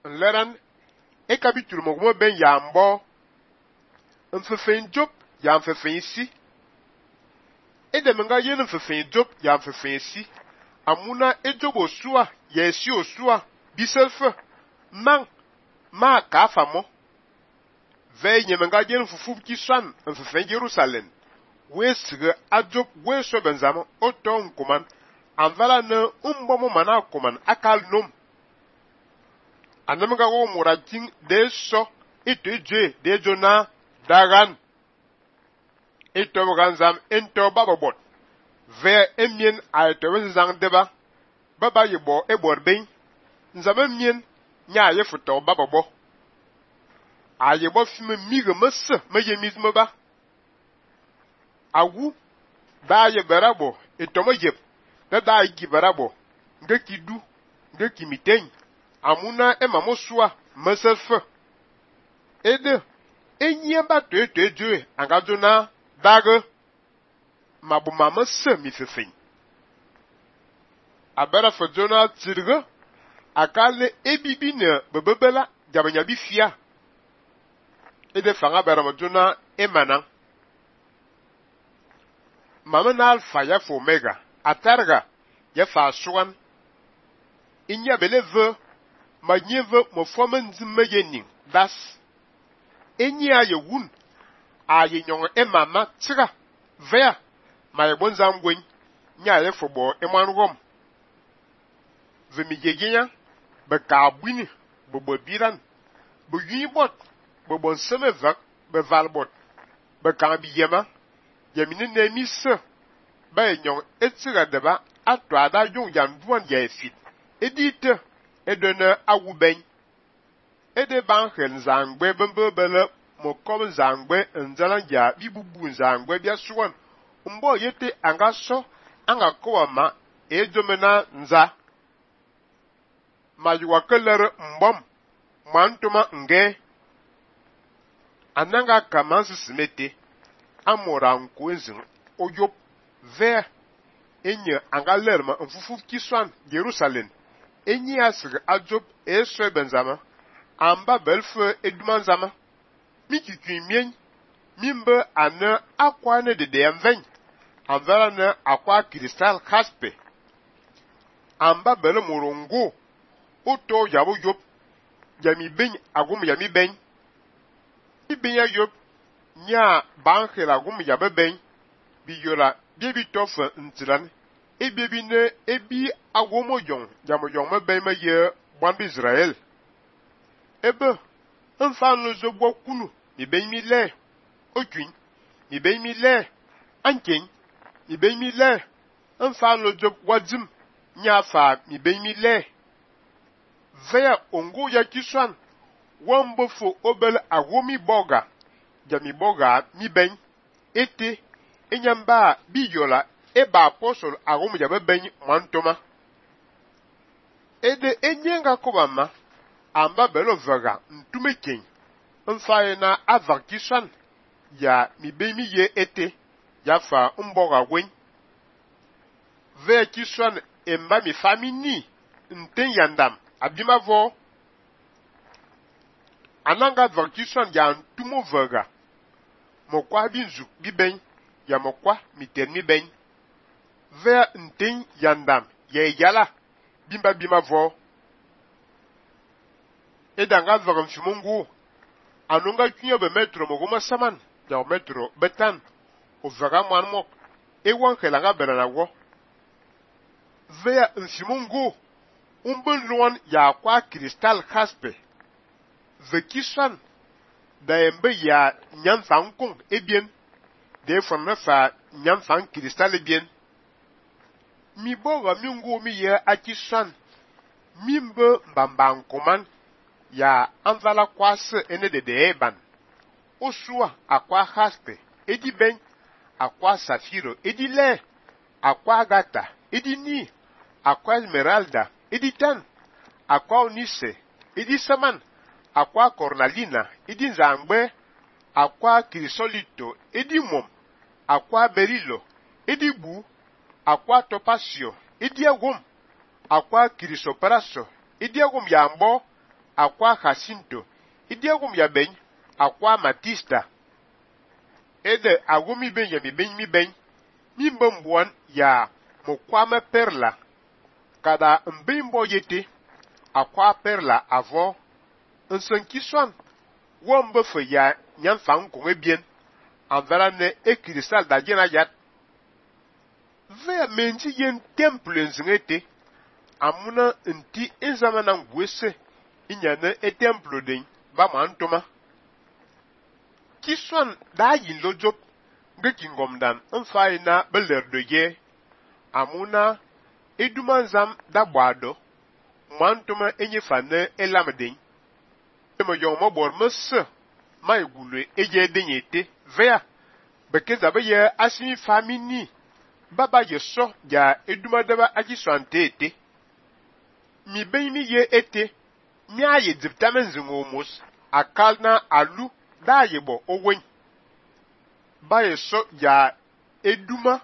Nleran e capítulo mo ben ya mbo mfefen Job ya mfefen si e de menga yen mfefen Job ya mfefen si amuna e Job osua ya si osua biselfe man ma ka famo ve nyemenga yen fufu ki swan mfefen Jerusalem we sige a Job we so benzama o ton kuman anvala ne umbomo mana kuman akal nom anamga wo muratin de so iteje de jona dagan ito ganzam ento babobot ve emien a to zang deba baba yebo e borben nzama mien nya ye futo babobo a yebo fime mige messe me yemizme ba awu da ye berabo ito mo yeb da yi berabo ngeki du ngeki miten amuna emamosua meselfe ede enyia ba to ejo angazona dage mabuma messe mi fefin abera fojona tirge akale ebibi ne bebebela jabanya bi fia ede fanga bera mojona emana mamana alpha ya fo omega atarga ya fa suwan inya beleve manyeve mo fomen zimeyenin das enyia ye wun a ye nyong emama tira vea ma ye bonzam gwen nya ye fobo emanrom vemigegenya be kabwini bobo biran bo yibot bobo semeva be valbot be kan biyema yemine nemise ba ye nyong etira deba ato ada yon yan duan ya efit edite edene awuben ede banken zangbe bembebele mokom zangbe nzalanja bibubu zangbe bia suwan mbo yete angaso anga kowama ejomena nza majuwa kelere mbom mantuma nge ananga kamansi simete amora nkwenzin oyop ve enye anga lerma mfufu kiswan Jerusalem enyi asig ajob eswe benzama amba belfe edumanzama mikikwi mien mimbe ane akwa ne de enven anvara ne akwa kristal kaspe amba bele morongo oto yabo yop yami ben agum yami ben ibenya yop nya bankhela agum yabe ben biyola bibi tofa ntiran ebi ne ebi agomojon jamojon me ben me ye bwan Israel ebe nfanu zogbo kunu mi ben mi le otwin mi ben mi le anken mi ben mi le nfanu job wadzim nya fa mi ben mi le veya ongo ya kiswan wambofo obel agomi boga jami boga mi ben ete enyamba biyola eba apostle agum jabe ben mantoma ede enyenga kobama amba belo vaga ntumeken mfaye na avakishan ya mibemi ye ete ya fa mboga gwen ve kishan emba mi famini nten yandam abimavo ananga vakishan ya ntumo vaga mokwa binzu biben ya mokwa mitermi ben ve nten yandam ye yala bimba bimavo edanga vagam fimungu anunga kinyo be metro mogoma saman ya metro betan o vaga manmok ewan kelanga berana wo vea nfimungu umbun luan ya kwa kristal kaspe vekisan da embe ya nyamfan kung ebien de fonne fa nyamfan kristal ebien mi boga mingu mi ye akisan mimbe mbamban koman ya anvala kwase ene de eban osua akwa haspe edi ben akwa safiro edi le akwa agata edi ni akwa esmeralda edi tan akwa onise edi saman akwa cornalina edi nzangbe akwa crisolito edi mom akwa berilo edi bu akwa topasio edi agum akwa crisopraso edi agum yambo akwa Jacinto, idiagum ya ben, akwa Matista. Ede agumi ben ya mi ben, mi mbombuan ya mokwame Perla, kada mbimbo yete, akwa Perla avo, nsen kiswan, wombe fe ya nyan fang kong bien, anvera ne ekristal da jena yat. Ve menji yen temple nzingete, amuna nti inzamana ngwese, inyane e temple den, ba mantoma. Kiswan da yin lojop, nge kingomdan, nfa ina beler de ye, amuna edumanzam da bwado, mantoma enye fane elamden. Me yon mobor mese, ma egule eye denyete, vea, bekeza be ye asimi famini, baba ye so ya edumadaba ajiswante ete. Mi ben mi ye ete, mi aye diptamen zingomos, akal na alu, da ye bo owen. Ba ye so ya eduma,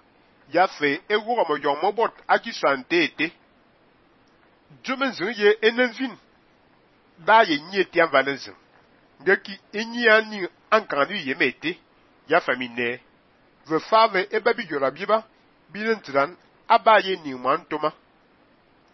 ya fe ewo mo yon mobot ajiswante ete. Jomen zing ye enenvin, da ye nye tian valenzen. Ngeki enyi ani ankanu ye mete, ya famine. Ve fave eba bi jola biba, bilen tran, abaye ni mwantoma.